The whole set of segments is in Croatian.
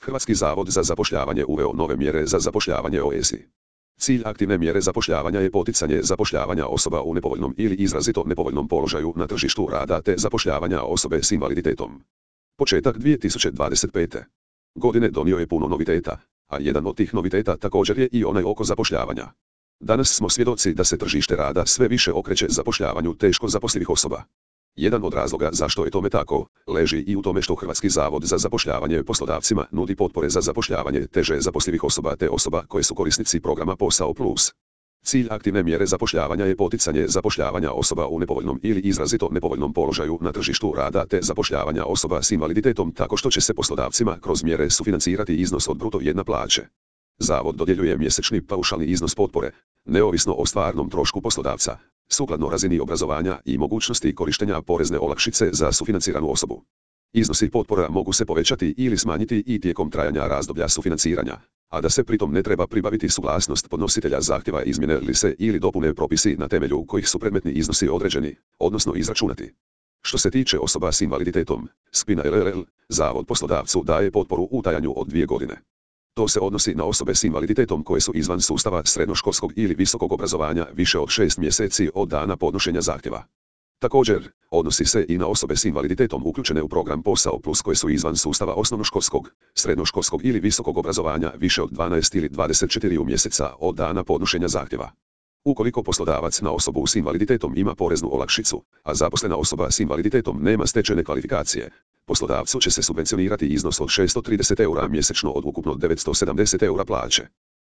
Hrvatski zavod za zapošljavanje uveo nove mjere za zapošljavanje OESI. Cilj aktivne mjere zapošljavanja je poticanje zapošljavanja osoba u nepovoljnom ili izrazito nepovoljnom položaju na tržištu rada te zapošljavanja osobe s invaliditetom. Početak 2025. godine donio je puno noviteta, a jedan od tih noviteta također je i onaj oko zapošljavanja. Danas smo svjedoci da se tržište rada sve više okreće zapošljavanju teško zaposlivih osoba. Jedan od razloga zašto je tome tako, leži i u tome što Hrvatski zavod za zapošljavanje poslodavcima nudi potpore za zapošljavanje teže zaposlivih osoba te osoba koje su korisnici programa Posao Plus. Cilj aktivne mjere zapošljavanja je poticanje zapošljavanja osoba u nepovoljnom ili izrazito nepovoljnom položaju na tržištu rada te zapošljavanja osoba s invaliditetom tako što će se poslodavcima kroz mjere sufinancirati iznos od bruto jedne plaće. Zavod dodjeljuje mjesečni paušalni iznos potpore, neovisno o stvarnom trošku poslodavca, sukladno razini obrazovanja i mogućnosti korištenja porezne olakšice za sufinanciranu osobu. Iznosi potpora mogu se povećati ili smanjiti i tijekom trajanja razdoblja sufinanciranja, a da se pritom ne treba pribaviti suglasnost podnositelja zahtjeva izmjene li se ili dopune propisi na temelju kojih su predmetni iznosi određeni, odnosno izračunati. Što se tiče osoba s invaliditetom, Spina LLL, Zavod poslodavcu daje potporu u trajanju od 2 godine. To se odnosi na osobe s invaliditetom koje su izvan sustava srednjoškolskog ili visokog obrazovanja više od 6 mjeseci od dana podnošenja zahtjeva. Također, odnosi se i na osobe s invaliditetom uključene u program Posao Plus koje su izvan sustava osnovnoškolskog, srednjoškolskog ili visokog obrazovanja više od 12 ili 24 mjeseca od dana podnošenja zahtjeva. Ukoliko poslodavac na osobu s invaliditetom ima poreznu olakšicu, a zaposlena osoba s invaliditetom nema stečene kvalifikacije, poslodavcu će se subvencionirati iznos od 630 eura mjesečno od ukupno 970 eura plaće.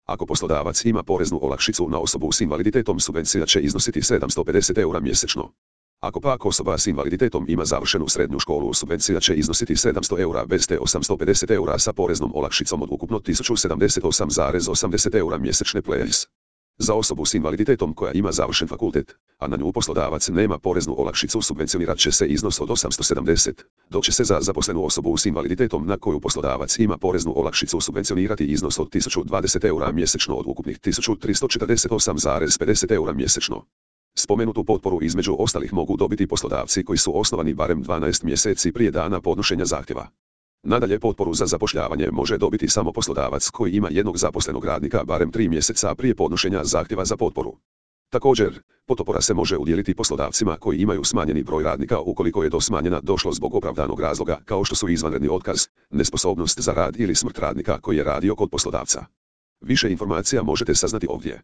Ako poslodavac ima poreznu olakšicu na osobu s invaliditetom, subvencija će iznositi 750 eura mjesečno. Ako pak osoba s invaliditetom ima završenu srednju školu, subvencija će iznositi 700 eura bez te 850 eura sa poreznom olakšicom od ukupno 1078,80 eura mjesečne plus. Za osobu s invaliditetom koja ima završen fakultet, a na nju poslodavac nema poreznu olakšicu, subvencionirat će se iznos od 870, dok će se za zaposlenu osobu s invaliditetom na koju poslodavac ima poreznu olakšicu subvencionirati iznos od 1020 eura mjesečno od ukupnih 1348,50 eura mjesečno. Spomenutu potporu između ostalih mogu dobiti poslodavci koji su osnovani barem 12 mjeseci prije dana podnošenja zahtjeva. Nadalje, potporu za zapošljavanje može dobiti samo poslodavac koji ima jednog zaposlenog radnika barem 3 mjeseca prije podnošenja zahtjeva za potporu. Također, potpora se može udijeliti poslodavcima koji imaju smanjeni broj radnika ukoliko je do smanjena došlo zbog opravdanog razloga kao što su izvanredni otkaz, nesposobnost za rad ili smrt radnika koji je radio kod poslodavca. Više informacija možete saznati ovdje.